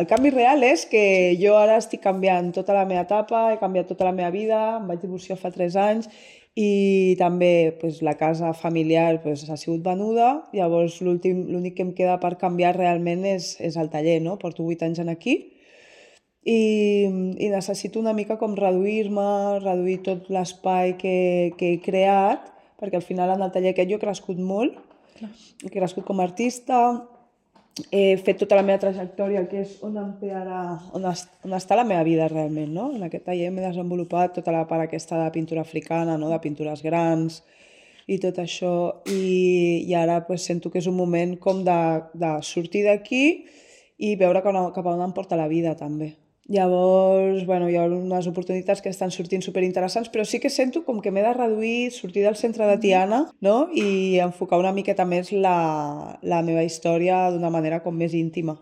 El canvi real és que jo ara estic canviant tota la meva etapa, he canviat tota la meva vida, em vaig divorciar fa 3 anys i també pues, la casa familiar pues, ha sigut venuda, llavors l'únic que em queda per canviar realment és el taller, no? Porto 8 anys en aquí i necessito una mica com reduir-me, reduir tot l'espai que he creat, perquè al final en el taller aquest jo he crescut molt, he crescut com a artista, he fet tota la meva trajectòria, que és on em té ara, on està la meva vida realment, no? En aquest taller m'he desenvolupat tota la part aquesta de pintura africana, no? De pintures grans i tot això, i ara pues, sento que és un moment com de sortir d'aquí i veure cap a on em porta la vida també. Llavors, bueno, hi ha unes oportunitats que estan sortint superinteressants, però sí que sento com que m'he de reduir, sortir del centre de Tiana, no? I enfocar una miqueta més la meva història d'una manera com més íntima.